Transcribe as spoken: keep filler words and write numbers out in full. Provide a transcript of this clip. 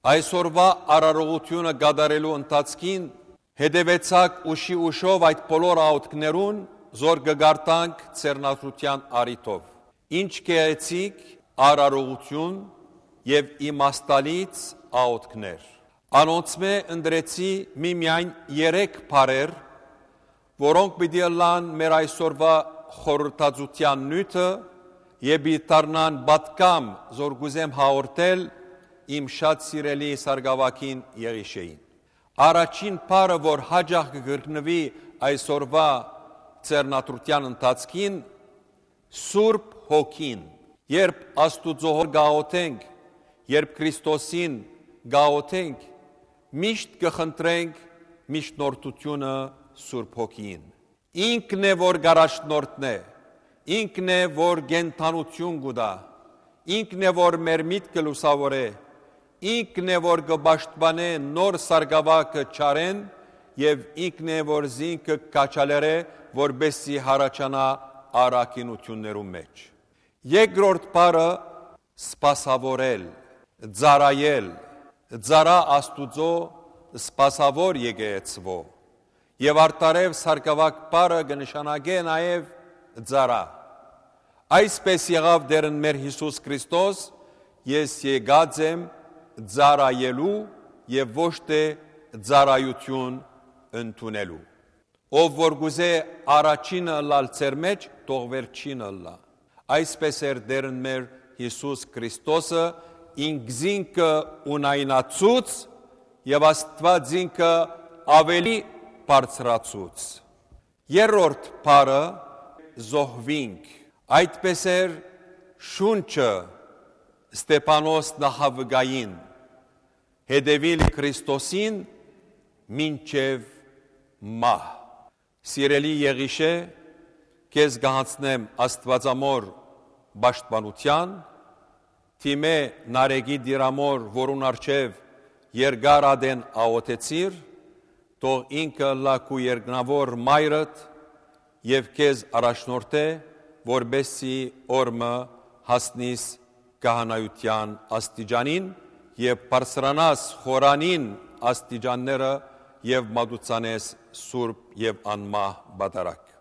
Այսօրվա արարողությունը գադարելու ընթացքին հետևեցակ ուշի ուշով այդ բոլոր աղոթքներուն, զոր կգարտանք ծերնացության առիթով։ Ինչ գեղեցիկ արարողություն եւ իմաստալից աղոթքներ։ Անոնցմե ընդրեցի միմիայն երեք բառեր, որոնք պիտի ըլլան մեր այսօրվա խորհրդածության նյութը եւ պիտի դառնան պատգամ, զոր գուզեմ հաղորդել իմ շատ սիրելի Սարգսակին Եղիշեին։ Առաջին բառը, որ հաջող կգրկնվի այսօրվա ծերնացության ընթացքին, Սուրբ Հոգին։ Երբ Աստուծո հոր գաղութենք, երբ Քրիստոսին գաղութենք, միշտ կխնդրենք միջնորդությունը Սուրբ Հոգին։ Ինքն է, որ գարաշնորհն է, ինքն է, որ գենթանություն գուտա, ինքն է, որ մեր միտքը լուսավորե, ինքն է, որ կպաշտպանե նոր Սարգսակը չարեն եւ ինքն է, որ զինքը կաչալերե, որբեսի հարաճանա առաքինություններու մեջ։ Երկրորդ բառը սպասավորել, ծառայել, ծառա Աստուծո սպասավոր եկեղեցվո եւ արտարև Սարգսակ բառը կնշանակե նաեւ ծառա։ Այսպես եղավ դերն մեր Հիսուս Քրիստոս, ես եկած եմ ծառայելու եւ ոչ թե ծառայություն ընդունելու։ Ով որ գուզե առաջինը լալ ծեր մեջ, թող վերջինը լա։ Այսպես էր դերն մեր Հիսուս Քրիստոսը ինքզինքը ունայնացուց եւ Աստված ինքը ավելի բարձրացուց։ Երրորդ բառը զոհվինք։ Այդպես էր շունչը Ստեփանոս նախավգային հետևիլ Քրիստոսին մինչև մահ։ Սիրելի Եղիշե, քեզ գահացնեմ Աստվածամոր պաշտպանության, թիմե նարեգի դիրամոր, որուն առջև երկար ադեն աղոթեցիր, թող ինքը լակու երկնավոր մայրդ եւ քեզ առաջնորդե, որբեսի օրմը հասնիս կահանայության աստիճանին եւ բարձրանաս խորանին աստիճանները եւ մատուցանես սուրբ եւ անմահ բադարակ։